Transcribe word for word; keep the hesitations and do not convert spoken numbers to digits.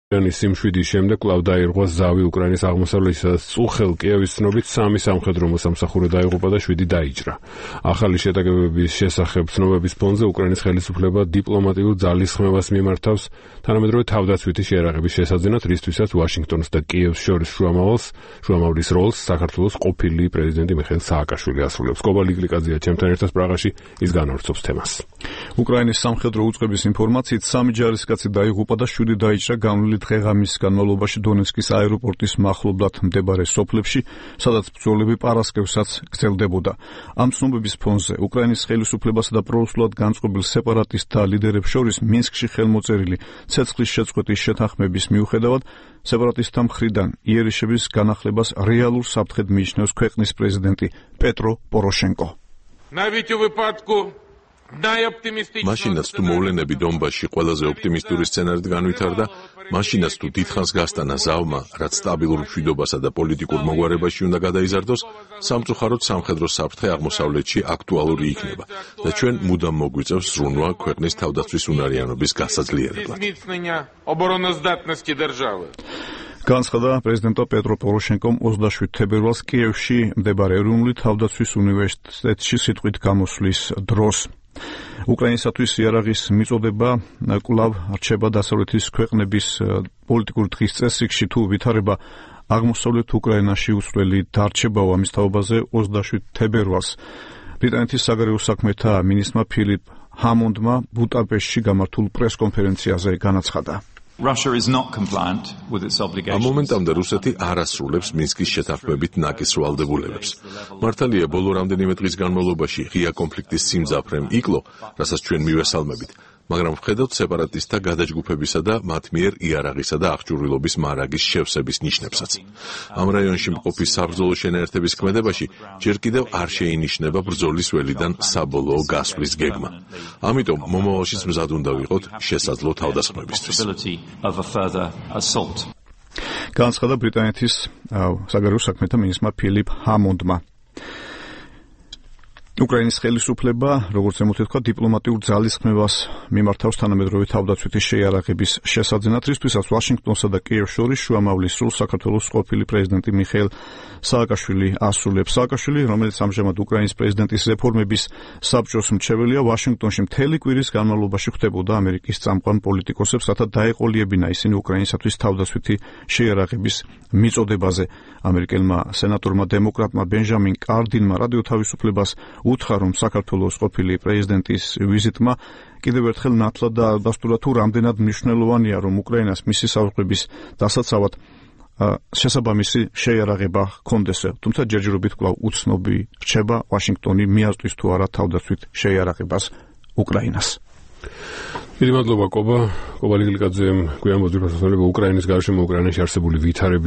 იანის სიმშვიდის შემდეგ კვლავ დაირღვა ზავი უკრაინის აღმოსავლეთისა და წუხელ კიევის ცნობით სამი სამხედრო მოსამსახურე დაიღუპა და შვიდი დაიჭრა. ახალი შეტაკებების შესახებ ცნობების ფონზე უკრაინის ხელისუფლება დიპლომატიურ ძალისხმევას მიმართავს თანამედროვე თავდაცვითი შეიარაღების შესაძენად, რისთვისაც ვაშინგტონს და კიევს შორის შუამავალს, შუამავლის როლს საქართველოს ყოფილი პრეზიდენტი მიხეილ სააკაშვილი ასრულებს. კობა ლიკლიკაძეა ჩემთან ერთად პრაღაში, ის განავრცობს თემას. უკრაინის სამხედრო უწყების ინფორმაციით სამი ჯარისკაცი დაიღუპა და შვიდი დაიჭრა განვლილი დღეღამის განმავლობაში დონეცკის აეროპორტის მახლობლად მდებარე სოფლებში, სადაც ბრძოლები პარასკევსაც გრძელდებოდა. ამ ცნობების ფონზე უკრაინის ხელისუფლებასა და პრორუსულად განწყობილ სეპარატისტთა ლიდერებს შორის მინსკში ხელმოწერილი ცეცხლის შეწყვეტის შეთანხმების მიუხედავად, სეპარატისტთა მხრიდან იერიშების განახლებას რეალურ საფრთხედ მიიჩნევს ქვეყნის პრეზიდენტი პეტრო პოროშენკო. მაშინაც თუ მოვლენები დონბასში ყველაზე ოპტიმისტური სცენარით განვითარდა, მაშინაც თუ დიდხანს გასტანა ზავმა, რაც სტაბილურ მშვიდობასა და პოლიტიკურ მოგვარებაში უნდა გადაიზარდოს, სამწუხაროდ სამხედრო საფრთხე აღმოსავლეთში აქტუალური იქნება და ჩვენ მუდამ მოგვიწევს ზრუნვა ქვეყნის თავდაცვის უნარიანობის გასაძლიერებლად. განცხადა პრეზიდენტ პეტრო პოროშენკომ ოცდაშვიდ თებერვალს კიევში მდებარე ეროვნული თავდაცვის უნივერსიტეტში სიტყვით გამოსვლის დროს. უკრაინისათვის იარაღის მიწოდება კვლავ რჩება დასავლეთის ქვეყნების პოლიტიკური დღის წესრიგში, თუ ვითარება აღმოსავლეთ უკრაინაში უცვლელი დარჩებაო. ამის თაობაზე ოცდაშვიდ თებერვალს ბრიტანეთის საგარეო საქმეთა მინისტრმა ფილიპ ჰამონდმა ბუდაპეშტში გამართულ პრესკონფერენციაზე განაცხადა. ამ მომენტამდე რუსეთი არ ასრულებს მინსკის შეთანხმებით ნაკის ვალდებულებებს. მართალია, ბოლო რამდენიმე დღის განმავლობაში ღია კონფლიქტის სიმძაფრემ იკლო, რასაც ჩვენ მივესალმებით, მაგრამ ვხედავთ სეპარატისტთა გადაჯგუფებისა და მათ მიერ იარაღისა და აღჭურვილობის მარაგის შევსების ნიშნებსაც. ამ რაიონში მყოფი საბრძოლო შენაერთების ქმედებაში ჯერ კიდევ არ შეინიშნება ბრძოლის ველიდან საბოლოო გასვლის გეგმა. ამიტომ მომავალშიც მზად უნდა ვიყოთ შესაძლო თავდასხმებისთვის. განცხადა ბრიტანეთის საგარეო საქმეთა მინისტრმა ფილიპ ჰამონდმა. უკრაინის ხელისუფლება, როგორც ემთხვევა, დიპლომატიურ ძალისხმევას მიმართავს თანამედროვე თავდაცვითი შეიარაღების შესაძენად, რისთვისაც ვაშინგტონსა და კიევს შორის შუამავლის სრულ საქართველოს ყოფილი პრეზიდენტი მიხეილ სააკაშვილი ასრულებს. სააკაშვილი, რომელიც ამჟამად უკრაინის პრეზიდენტის რეფორმების საბჭოს მრჩეველია, ვაშინგტონში მთელი კვირის განმავლობაში ხვდებოდა ამერიკის წამყვან პოლიტიკოსებს, რათა დაეყოლიებინა ისინი უკრაინისათვის თავდაცვითი შეიარაღების მიწოდებაზე. ამერიკელმა სენატორმა დემოკრატმა ბენჟამინ კარდინმა რადიო თავისუფლებას უთხრა, რომ საქართველოს ყოფილი პრეზიდენტის ვიზიტმა კიდევ ერთხელ ნათლად და ალბასტურად თუ რამდენად მნიშვნელოვანია, რომ უკრაინას მისი საზღვრების დასაცავად შესაბამისი შეიარაღება ჰქონდეს. თუმცა ჯერჯერობით კვლავ უცნობი რჩება ვაშინგტონი მიაწვის თუ არა თავდაცვით შეიარაღებას უკრაინას. დიდი მადლობა კობა. კობა ლიკლიკაძემ გვიან მოძებნებას უკრაინის გარშემო უკრაინაში არსებული ვითარების